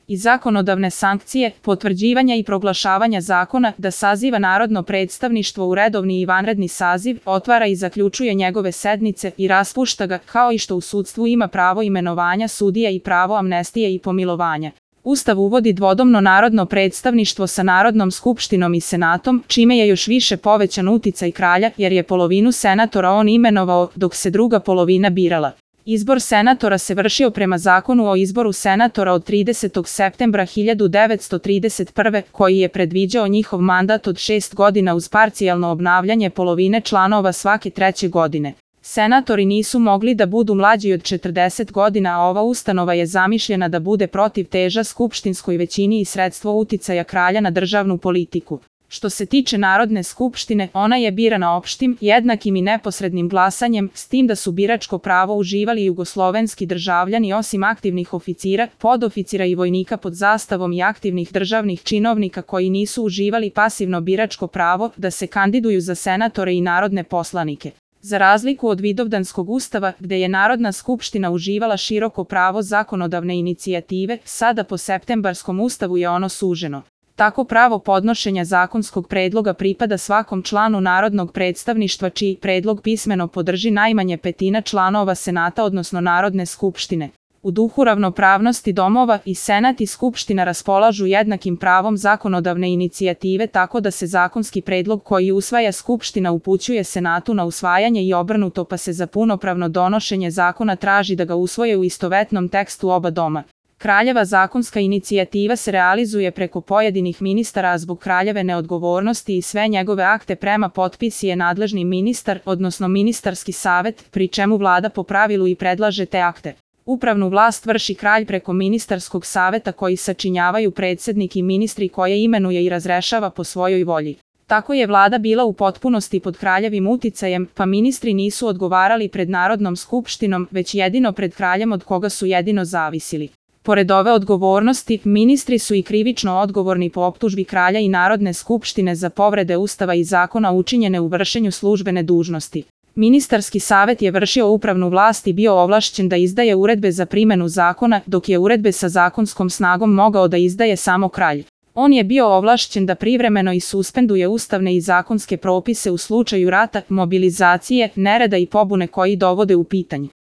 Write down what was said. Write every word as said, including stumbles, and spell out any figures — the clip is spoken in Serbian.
i zakonodavne sankcije, potvrđivanja i proglašavanja zakona, da saziva narodno predstavništvo u redovni i vanredni saziv, otvara i zaključuje njegove sednice i raspušta ga, kao i što u sudstvu ima pravo imenovanja sudija i pravo amnestije i pomilovanja. Ustav uvodi dvodomno narodno predstavništvo sa Narodnom skupštinom i Senatom, čime je još više povećan uticaj kralja, jer je polovinu senatora on imenovao, dok se druga polovina birala. Izbor senatora se vršio prema zakonu o izboru senatora od tridesetog septembra hiljadu devetsto trideset prve. koji je predviđao njihov mandat od šest godina uz parcijalno obnavljanje polovine članova svake treće godine. Senatori nisu mogli da budu mlađi od četrdeset godina, a ova ustanova je zamišljena da bude protivteža skupštinskoj većini i sredstvo uticaja kralja na državnu politiku. Što se tiče Narodne skupštine, ona je birana opštim, jednakim i neposrednim glasanjem, s tim da su biračko pravo uživali jugoslovenski državljani osim aktivnih oficira, podoficira i vojnika pod zastavom i aktivnih državnih činovnika koji nisu uživali pasivno biračko pravo da se kandiduju za senatore i narodne poslanike. Za razliku od Vidovdanskog ustava, gde je Narodna skupština uživala široko pravo zakonodavne inicijative, sada po septembarskom ustavu je ono suženo. Tako pravo podnošenja zakonskog predloga pripada svakom članu narodnog predstavništva čiji predlog pismeno podrži najmanje petina članova Senata odnosno Narodne skupštine. U duhu ravnopravnosti domova i Senat i Skupština raspolažu jednakim pravom zakonodavne inicijative tako da se zakonski predlog koji usvaja Skupština upućuje Senatu na usvajanje i obrnuto, pa se za punopravno donošenje zakona traži da ga usvoje u istovetnom tekstu oba doma. Kraljeva zakonska inicijativa se realizuje preko pojedinih ministara, a zbog kraljeve neodgovornosti i sve njegove akte prema potpisi je nadležni ministar, odnosno ministarski savet, pri čemu vlada po pravilu i predlaže te akte. Upravnu vlast vrši kralj preko ministarskog saveta koji sačinjavaju predsednik i ministri koje imenuje i razrešava po svojoj volji. Tako je vlada bila u potpunosti pod kraljevim uticajem, pa ministri nisu odgovarali pred Narodnom skupštinom, već jedino pred kraljem od koga su jedino zavisili. Pored ove odgovornosti, ministri su i krivično odgovorni po optužbi kralja i Narodne skupštine za povrede ustava i zakona učinjene u vršenju službene dužnosti. Ministarski savet je vršio upravnu vlast i bio ovlašćen da izdaje uredbe za primenu zakona, dok je uredbe sa zakonskom snagom mogao da izdaje samo kralj. On je bio ovlašćen da privremeno i suspenduje ustavne i zakonske propise u slučaju rata, mobilizacije, nereda i pobune koji dovode u pitanje